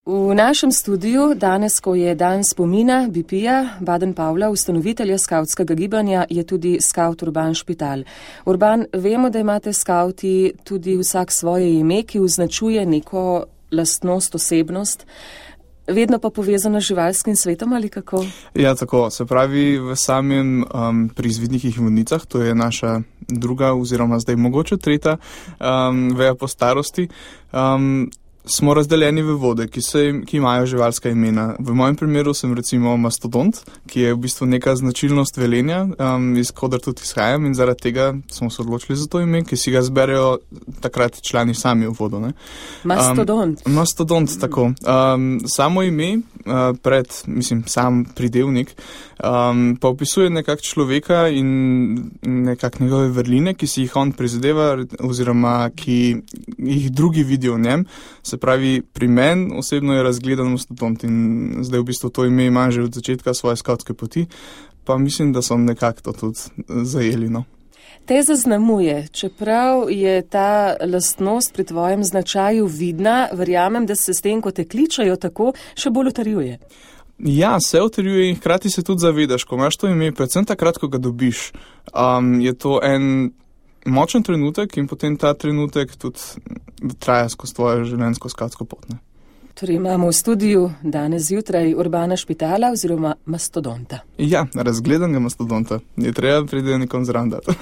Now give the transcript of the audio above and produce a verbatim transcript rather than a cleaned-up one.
V našem studiu danes, ko je dan spomina B P-ja, Baden-Powella, ustanovitelja skavtskega gibanja, je tudi skavt Urban Špital. Urban, vemo, da imate skavti tudi vsak svoje ime, ki označuje neko lastnost, osebnost, vedno pa povezano z živalskim svetom ali kako? Ja, tako. Se pravi, v samem um, pri izvidnikih vodnicah, to je naša druga oziroma zdaj mogoče tretja um, veja po starosti, um, smo razdeljeni v vode, ki, se, ki imajo živalska imena. V mojem primeru sem recimo mastodont, ki je v bistvu neka značilnost velenja, um, iz koder tudi izhajam in zaradi tega smo se odločili za to ime, ki si ga zberejo takrat člani sami v vodo. Ne? Mastodont. Um, mastodont, mm. tako. Um, samo ime, uh, pred, mislim, sam pridevnik, um, pa opisuje nekak človeka in nekak njegove vrline, ki si jih on prizadeva oziroma ki jih drugi vidijo v njem. Se pravi, pri meni osebno je razgledan mastodont in zdaj v bistvu to ime imam že od začetka svoje skavtske poti, pa mislim, da so nekako to tudi zajeli. No. Te zaznamuje, čeprav je ta lastnost pri tvojem značaju vidna, verjamem, da se s tem, ko te kličajo tako, še bolj utrjuje. Ja, se utrjuje in hkrati se tudi zavedaš, ko imaš to ime, predvsem takrat, ko ga dobiš, um, je to en močen trenutek in potem ta trenutek tudi traja skozi tvojo življenjsko skavtsko pot. Ne? Torej imamo v studiu danes zjutraj Urbana Špitala oziroma mastodonta. Ja, razgledanega mastodonta. Je treba pride nekom zraven dati.